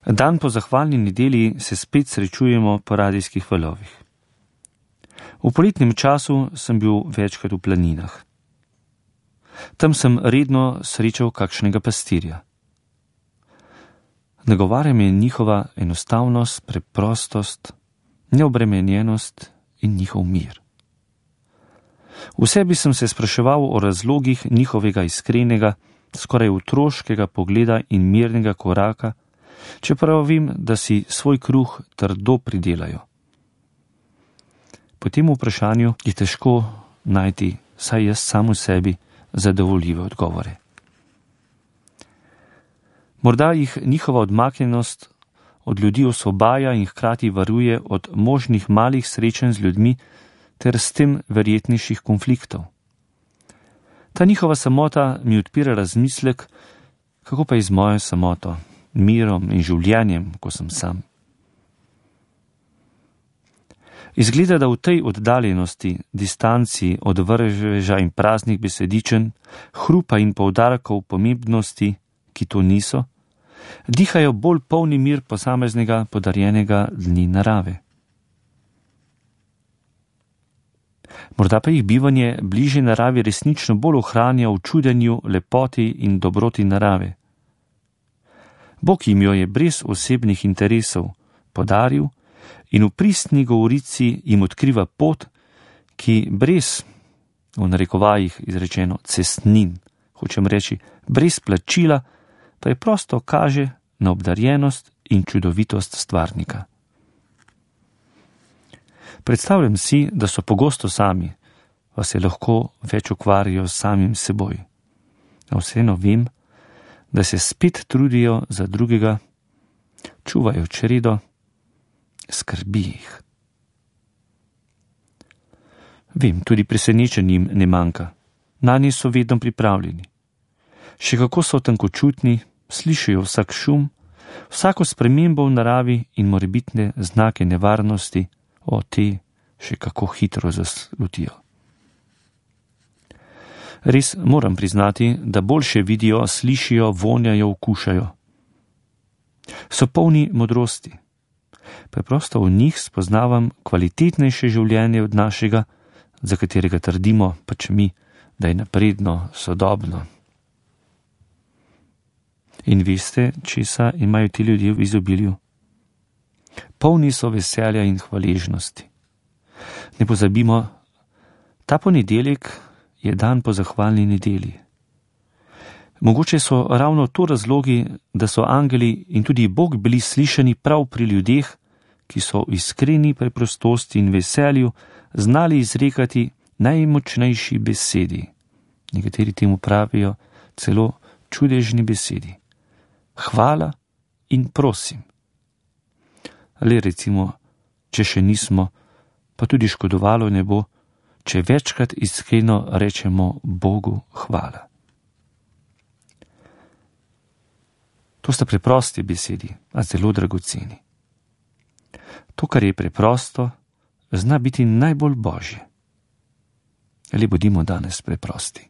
Dan po zahvalni nedelji se spet srečujemo po radijskih valovih. V poletnem času sem bil večkrat v planinah. Tam sem redno srečal kakšnega pastirja. Nagovarja me njihova enostavnost, preprostost, neobremenjenost in njihov mir. V sebi sem se spraševal o razlogih njihovega iskrenega, skoraj otroškega pogleda in mirnega koraka, čeprav vem, da si svoj kruh trdo pridelajo. Po tem vprašanju je težko najti, saj jaz sam v sebi, zadovoljive odgovore. Morda jih njihova odmaknjenost od ljudi osvobaja in hkrati varuje od možnih malih srečanj z ljudmi ter s tem verjetnejših konfliktov. Ta njihova samota mi odpira razmislek, kako pa je z mojo samoto, mirom in življenjem, ko sem sam. Izgleda, da v tej oddaljenosti, distanci od vrveža in praznih besedičen, hrupa in poudarkov pomembnosti, ki to niso, dihajo bolj polni mir posameznega podarjenega dni narave. Morda pa jih bivanje bližje naravi resnično bolj ohranja v čudenju, lepoti in dobroti narave. Bog jim jo je brez osebnih interesov podaril in v pristni govorici jim odkriva pot, ki brez, v narekovajih izrečeno, cestnin, hočem reči, brez plačila, pa je prosto kaže na obdarjenost in čudovitost stvarnika. Predstavljam si, da so pogosto sami, pa se lahko več ukvarjajo s samim seboj. A vseeno vem, da se spet trudijo za drugega, čuvajo čredo, skrbi jih. Vem, tudi presenečenjem ne manjka. Nanje so vedno pripravljeni. Še kako so tankočutni, slišijo vsak šum, vsako spremembo v naravi in morebitne znake nevarnosti, te še kako hitro zaslutijo. Res moram priznati, da boljše vidijo, slišijo, vonjajo, okušajo. So polni modrosti. Preprosto v njih spoznavam kvalitetnejše življenje od našega, za katerega trdimo pač mi, da je napredno, sodobno. In veste, česa imajo ti ljudje v izobilju? Polni so veselja in hvaležnosti. Ne pozabimo, ta ponedeljek je dan po zahvalni nedelji. Mogoče so ravno to razlogi, da so angeli in tudi Bog bili slišani prav pri ljudeh, ki so v iskreni preprostosti in veselju znali izrekati najmočnejši besedi. Nekateri temu pravijo celo čudežni besedi. Hvala in prosim. Le recimo, če še nismo, pa tudi škodovalo ne bo, če večkrat iskreno rečemo Bogu hvala. To sta preprosti besedi, a zelo dragoceni. To, kar je preprosto, zna biti najbolj božje. Ali bodimo danes preprosti.